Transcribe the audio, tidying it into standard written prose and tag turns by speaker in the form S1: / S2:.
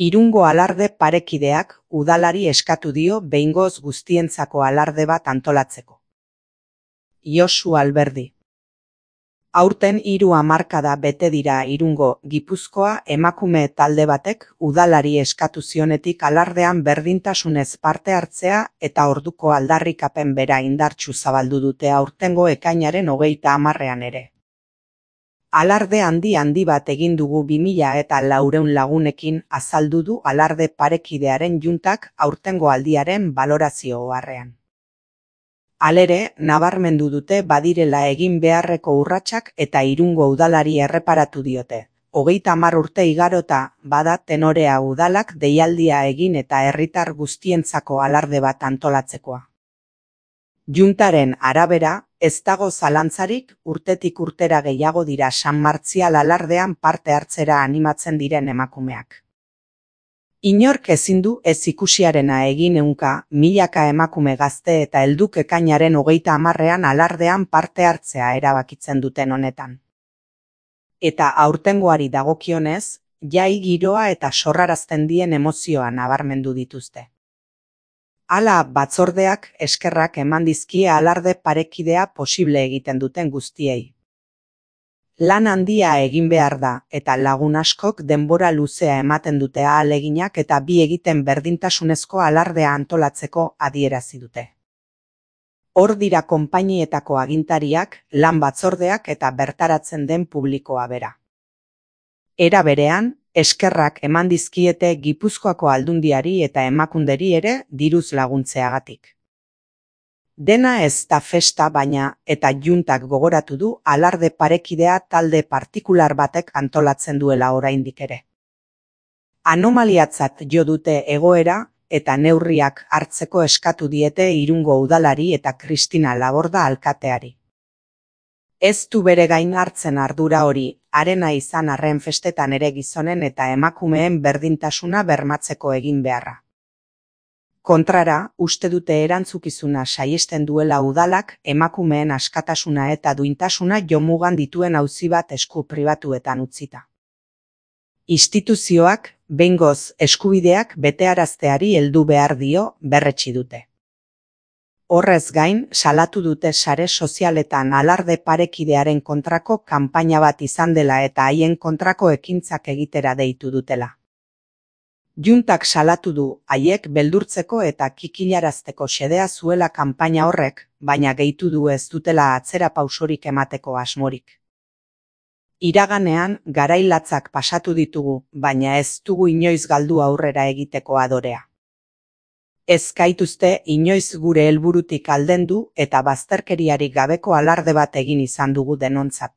S1: Irungo alarde parekideak udalari eskatu dio behingoz guztientzako alarde bat antolatzeko. Josu Alberdi. Aurten 3 hamarkada bete dira Irungo, Gipuzkoa emakume talde batek udalari eskatu zionetik alardean berdintasunez parte hartzea eta orduko aldarrikapen bera indartsu zabaldu dute aurtengo ekainaren 30ean ere. Alarde handi bat egin dugu 2400 lagunekin azaldu du alarde parekidearen juntak aurtengo aldiaren balorazio oharrean. Halere, nabarmendu dute badirela egin beharreko urratsak eta Irungo udalari erreparatu diote. 30 urte igarota bada Tenorea udalak deialdia egin eta herritar guztientzako alarde bat antolatzekoa. Juntaren arabera, ez dago zalantzarik urtetik urtera gehiago dira San Martzial alardean parte hartzera animatzen diren emakumeak. Inork ezin du ez ikusiarena egin ehunka, milaka emakume gazte eta helduk ekainaren 30ean alardean parte hartzea erabakitzen duten honetan. Eta aurtengoari dagokionez, jai giroa eta sorrarazten dien emozioa nabarmendu dituzte. Hala batzordeak eskerrak eman dizkie alarde parekidea posible egiten duten guztiei. Lan handia egin behar da, eta lagun askok denbora luzea ematen dute ahaleginak eta bi egiten berdintasunezko alardea antolatzeko adierazi dute. Hor dira konpainietako agintariak, lan batzordeak eta bertaratzen den publikoa bera. Era berean, eskerrak eman dizkiete Gipuzkoako Aldundiari eta Emakunderi ere diruz laguntzeagatik. Dena ez da festa baina, eta juntak gogoratu du alarde parekidea talde partikular batek antolatzen duela oraindik ere. Anomaliatzat jo dute egoera eta neurriak hartzeko eskatu diete Irungo udalari eta Kristina Laborda alkateari. Ez du bere gain hartzen ardura hori, harena izan arren festetan ere gizonen eta emakumeen berdintasuna bermatzeko egin beharra. Kontrara, uste dute erantzukizuna saihesten duela udalak emakumeen askatasuna eta duintasuna jomugan dituen auzi bat esku pribatuetan utzita. Instituzioak, behingoz eskubideak betearazteari heldu behar dio berretsi dute. Horrez gain, salatu dute sare sozialetan alarde parekidearen kontrako kanpaina bat izan dela eta haien kontrako ekintzak egitera deitu dutela. Juntak salatu du haiek beldurtzeko eta kikilarazteko xedea zuela kanpaina horrek, baina gehitu du ez dutela atzera pausorik emateko asmorik. Iraganean garailatzak pasatu ditugu, baina ez dugu inoiz galdu aurrera egiteko adorea. Ez gaituzte inoiz gure helburutik aldendu eta bazterkeriarik gabeko alarde bat egin izan dugu denontzat.